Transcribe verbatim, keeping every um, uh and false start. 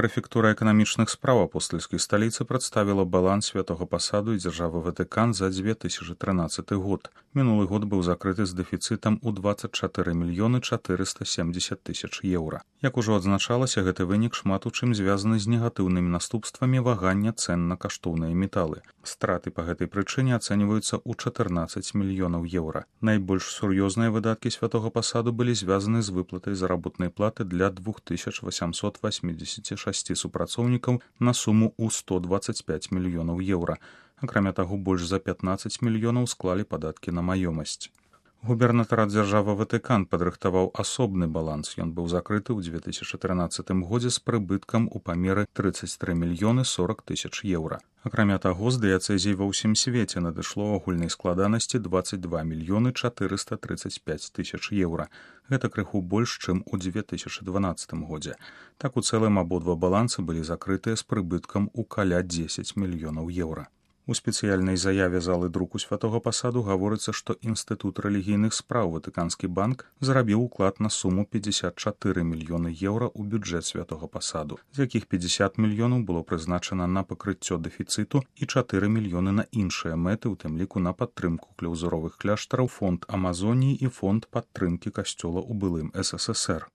Прэфектура эканамічных спраў апостальскай сталіцы прадставіла баланс святога пасаду і дзяржавы Ватыкан за две тысячы трынаццаты год. Мінулы год быў закрыты з дэфіцытам у дваццаць чатыры мільёны чатырыста семдзесят тысяч еўра. Як ужо адзначалася, гэты вынік шмат у чым звязаны з негатыўнымі наступствамі вагання цэн на каштоўныя металы. Страты па гэтай прычыне ацэньваюцца ў чатырнаццаць мільёнаў еўра. Найбольш сур'ёзныя выдаткі святога пасаду былі звязаны з выплатай заработнай платы для двух тысяч васямсот восьмідзесяці шасці супрацоўнікаў на суму ў сто дваццаць пяць мільёнаў еўра. Акрамя таго, больш за пятнаццаць мільёнаў склалі падаткі на маёмасць. Губернатарат дзяржавы Ватыкан падрыхтаваў асобны баланс. Ён быў закрыты ў две тысячы трынаццатым годзе з прыбыткам у памеры трыццаць тры мільёны сорак тысяч еўра. Акрамя таго, з дыяцэзій ва ўсім свеце надышло агульнай складанасці дваццаць два мільёны чатырыста трыццаць пяць тысяч еўра. Гэта крыху больш, чым у две тысячы дванаццатым годзе. Так у цэлым абодва балансы былі закрытыя з прыбыткам у каля дзесяць мільёнаў еўра. У спецыяльнай заяве залы друку святога пасаду гаворыцца, што Інстытут рэлігійных спраў Ватыканскі банк зарабіў уклад на суму пятьдесят чатыры мільёны еўра ў бюджэт святога пасаду, з якіх пятьдесят мільёнаў было прызначана на пакрыццё дэфіцыту і чатыры мільёны на іншыя мэты, у тым ліку на падтрымку клаўзуровых кляштараў, фонд Амазоніі і фонд падтрымкі касцёла ў былым эс эс эс эр.